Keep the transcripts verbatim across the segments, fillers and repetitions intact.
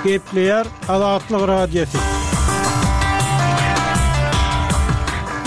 Gepleýär Azatlyk Radiosy.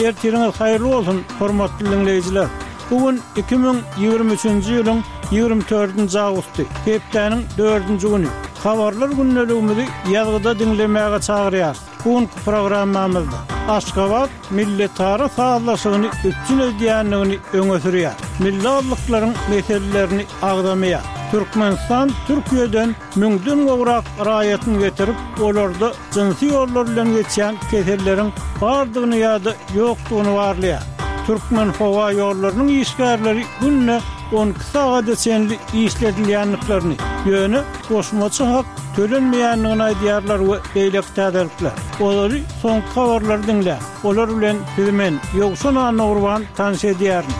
Ertiriňiz haýyrly bolsun, hormatly diňleýjiler! Bu gün iki müň ýigrimi üçünji ýylyň ýigrimi dördünji awgusty, hepdäniň dördünji güni. Habarlar gündeligimizi ýazgyda diňlemäge çagyrýarys. Bu günki programmamyzda Aşgabat milletara sazlaşygyny üpjün edýändigini öňe sürýär. Milli azlyklaryň meselelerini agzamaýar. Türkmenistan Türkiýeden müňden gowrak raýatyny getirip, olarda jynsy ýollar bilen geçýän keselleriň bardygyny ýa-da ýokdugyny barlaýar. Türkmenhowaýollarynyň işgärleri günde on iki sagada çenli işledilýändiklerini, ýöne goşmaça hak tölenmeýändigini aýdýarlar we beýleki täzelikler. Olary soňky habarlary diňläň. Olar bilen sizi men, Ýowşan Annagurban tanyş edýärin.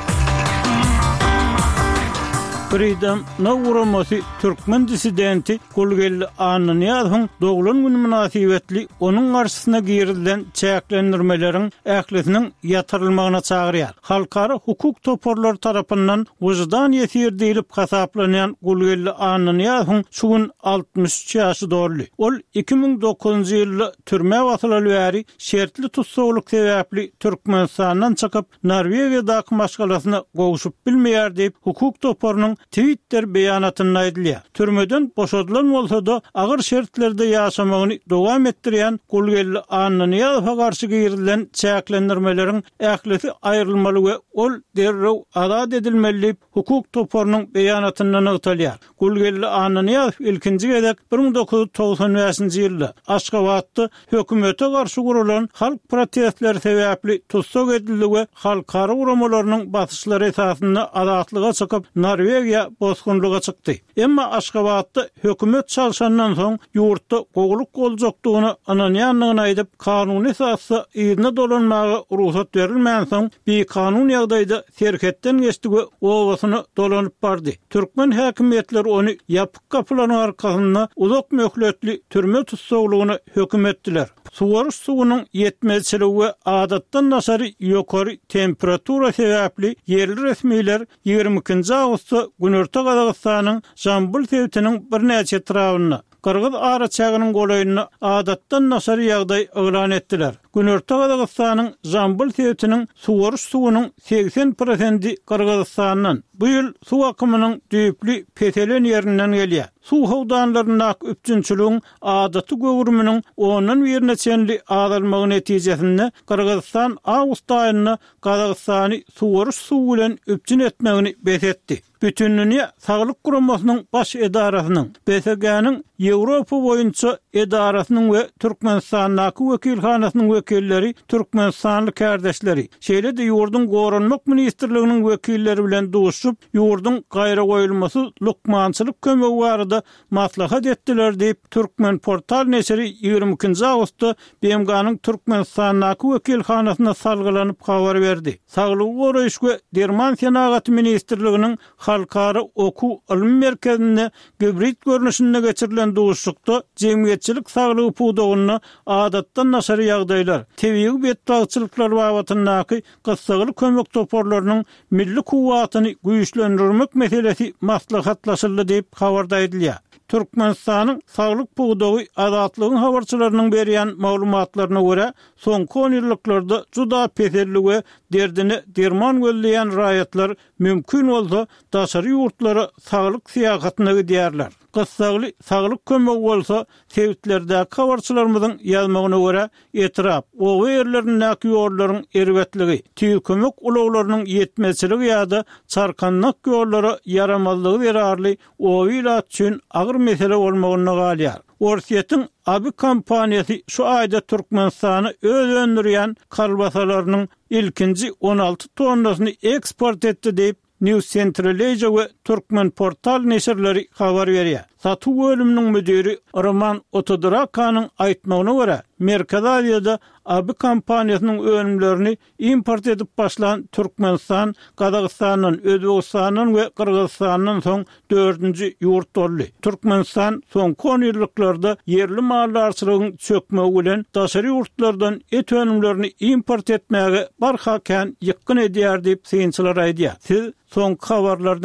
Freedom Now guramasy türkmen dissidenti Gulgeldi Annanyýazowyň doglan güni mynasybetli onuň garşysyna girizilen çäklendirmeleriň ählisiniň ýatyrylmagyna çagyrýar. Halkara hukuk toparlary tarapyndan wyždan ýesiri diýlip hasaplanýan Gulgeldi Annanyýazowyň şu gün altmyş üç ýaşy doldy. Ol iki müň dokuzynjy ýylda türmä basylaly bäri şertli tussaglyk sebäpli Türkmenistandan çykyp, Norwegiýadaky maşgalasyna gowşup bilmeýär diýip, hukuk toparynyň Twitter beýanatynda aýdylýar. Türmeden boşadylan bolsa-da, agyr şertlerde ýaşamagyny dowam etdirýän Gulgeldi Annanyýazowa garşy girizilen çäklendirmeleriň ählisi aýrylmaly we ol derrew azat edilmeli diýip, hukuk toparynyň beýanatynda nygtalýar. Gulgeldi Annanyýazow ilkinji gezek bir müň dokuz ýüz togsan bäşinji ýylda Aşgabatda hökümete garşy guralan halk protestleri sebäpli tussag edildi we halkara guramalarynyň basyşlary esasynda azatlyga çykyp, Norwegiýa bosgunlyga çykdy. Emma Aşgabatda hökümet çalşandan soň ýurtda gowulyk boljakdygyna ynanýandygyny aýdyp, kanuny esasda yzyna dolanmaga rugsat berilmänsoň, bikanun ýagdaýda serhetden geçdi we obasyna dolanyp bardy. Türkmen häkimiýetleri ony ýapyk gapylaryň arkasynda uzak möhletli türme tussaglygyna höküm etdiler. Suwaryş suwunyň ýetmezçiligi we adatdan daşary ýokary temperatura sebäpli ýerli resmiler ýigrimi ikinji awgustda Günorta Gazagystanyň Žambyl sebitiniň birnäçe etrabynda, gyrgyz araçäginiň golaýynda adatdan daşary ýagdaý yglan etdiler. Günorta Gazagystanyň Žambyl sebitiniň suwaryş suwunyň segsen prosendi Gyrgyzystandan, bu ýyl suw akymynyň düýpli peselen ýerinden gelýär. Suw howdanlaryndaky üpjünçiligiň adaty göwrüminiň ondan birine çenli azalmagy netijesinde Gyrgyzystan awgust aýynda Gazagystany suwaryş suwy bilen üpjün etmegini bes etdi. Bütindünýä Saglyk Guramasynyň Baş edarasynyň, B S G-niň Ýewropa boýunça edarasynyň we Türkmenistandaky wekilhanasynyň wekilleri türkmenistanly kärdeşleri, şeýle-de ýurduň Goranmak ministrliginiň wekilleri bilen duşup, ýurduň gaýragoýulmasyz lukmançylyk kömegi barada maslahat etdiler diýip, Türkmenportal neşiri ýigrimi ikinji awgustda B M G-niň Türkmenistandaky wekilhanasyna salgylanyp habar berdi. Saglygy goraýyş we derman senagaty ministrliginiň Halkara okuw ylmy merkezinde gibrid görnüşinde geçirilen duşuşykda jemgyýetçilik saglygy pudagynda adatdan daşary ýagdaýlar, tebigy betbagtçylyklar babatyndaky gyssagly kömek toparlarynyň milli kuwwatyny güýçlendirmek meselesi maslahatlaşyldy diýip habarda aýdylýar. Türkmenistanyň saglyk pudagy Azatlygyň habarçylarynyň berýän maglumatlaryna görä, soňky on ýyllyklarda juda peseldi we derdine derman gözleýän raýatlar mümkin bolsa daşary ýurtlara saglyk syýahatyna gidýärler. Gyssagly saglyk kömegi bolsa sebitlerdäki habarçylarymyzyň ýazmagyna görä, etrap, oba ýerlerindäki ýollaryň erbetligi, tiz kömek ulaglarynyň ýetmezçiligi ýa-da çarkandak ýollara ýaramazlygy zerarly oba ilat üçin agyr mesele bolmagynda galýar. Orsýetiň Abi kompaniýasy şu aýda Türkmenistana öz öndürýän kolbasalarynyň ilkinji on alty tonnasyny eksport etdi diýip, News Central Asia we Turkmenportal neşirleri habar berýär. Satuw bölüminiň müdiri Roman Otodorakanyň aýtmagyna görä, Merkezi Aziýada Abi kompaniýasynyň önümlerini import edip başlan Türkmenistan Gazagystandan, Özbegistandan we Gyrgyzystandan soň dördünji ýurt boldy. Türkmenistan soňky onýyllyklarda ýerli maldarçylygyň çökmegi bilen daşary ýurtlardan et önümlerini import etmäge barha kän ýykgyn edýär diýip, synçylar aýdýar. Siz soňky habarlary